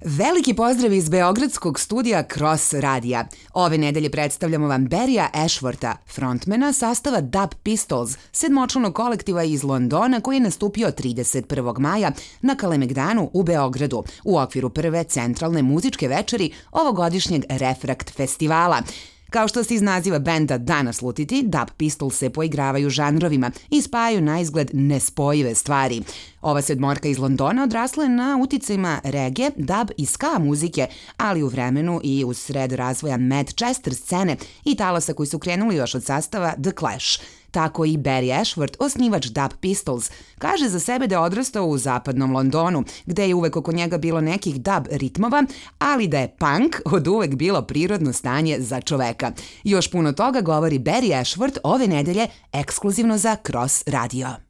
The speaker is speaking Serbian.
Veliki pozdrav iz beogradskog studija Cross Radija. Ove nedelje predstavljamo vam Barryja Ashwortha, frontmana sastava Dub Pistols, sedmočlanog kolektiva iz Londona koji je nastupio 31. maja na Kalemegdanu u Beogradu u okviru prve centralne muzičke večeri ovogodišnjeg Refrakt festivala. Kao što se iz naziva benda da naslutiti, Dub Pistols se poigravaju žanrovima i spajaju na izgled nespojive stvari. Ova sedmorka iz Londona odrasla je na uticajima reggae, dub i ska muzike, ali u vremenu i u sred razvoja Manchester scene i talasa koji su krenuli još od sastava The Clash. Tako i Barry Ashworth, osnivač Dub Pistols, kaže za sebe da je odrastao u zapadnom Londonu, gde je uvek oko njega bilo nekih dub ritmova, ali da je punk od uvek bilo prirodno stanje za čoveka. Još puno toga govori Barry Ashworth ove nedelje ekskluzivno za Cross Radio.